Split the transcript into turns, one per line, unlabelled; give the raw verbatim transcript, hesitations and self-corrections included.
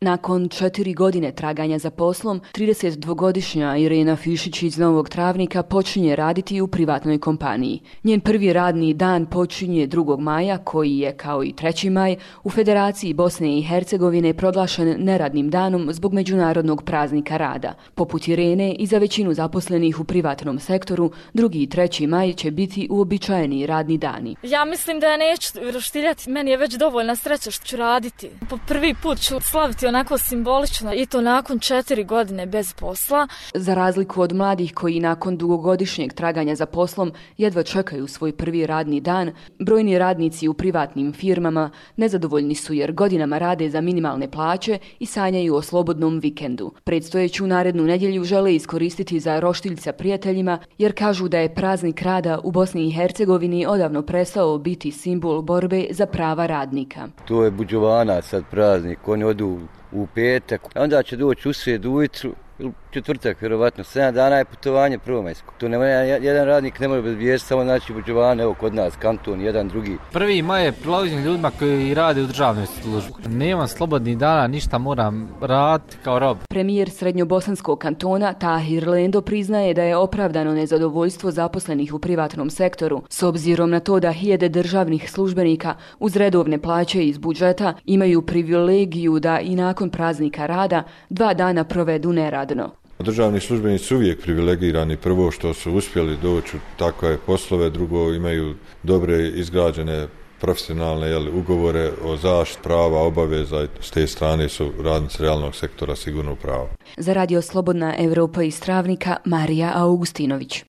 Nakon četiri godine traganja za poslom, tridesetdvogodišnja Irena Fišić iz Novog Travnika počinje raditi u privatnoj kompaniji. Njen prvi radni dan počinje drugog maja, koji je, kao i treći maj, u Federaciji Bosne i Hercegovine proglašen neradnim danom zbog međunarodnog praznika rada. Poput Irene i za većinu zaposlenih u privatnom sektoru, drugi i treći maj će biti uobičajeni radni dani.
Ja mislim da ja neću roštiljati, meni je već dovoljna sreća što ću raditi. Po prvi put ću slaviti onako simbolično i to nakon četiri godine bez posla.
Za razliku od mladih koji nakon dugogodišnjeg traganja za poslom jedva čekaju svoj prvi radni dan, brojni radnici u privatnim firmama nezadovoljni su jer godinama rade za minimalne plaće i sanjaju o slobodnom vikendu. Predstojeću narednu nedjelju žele iskoristiti za roštilj sa prijateljima jer kažu da je praznik rada u Bosni i Hercegovini odavno prestao biti simbol borbe za prava radnika.
To je buđovana sad praznik, oni odu u petak, onda će doći u srijedu ujutru, četvrtak, vjerovatno, sedam dana je putovanje prvomajsko. To nema, jedan radnik ne može bez vijesti, samo znači buđovane, evo kod nas, kanton, jedan drugi.
Prvi maj je prilagođen ljudima koji rade u državnoj službi. Nemam slobodnih dana, ništa moram raditi kao rob.
Premijer Srednjobosanskog kantona Tahir Lendo priznaje da je opravdano nezadovoljstvo zaposlenih u privatnom sektoru, s obzirom na to da hiljade državnih službenika uz redovne plaće iz budžeta imaju privilegiju da i nakon praznika rada dva dana provedu neradno.
Državni službenici su uvijek privilegirani, prvo što su uspjeli doći u takve poslove, drugo imaju dobre izgrađene profesionalne jel, ugovore o zaštiti prava, obaveza, s te strane su radnici realnog sektora sigurno u pravu.
Za Radio Slobodna Evropa iz Travnika, Marija Augustinović.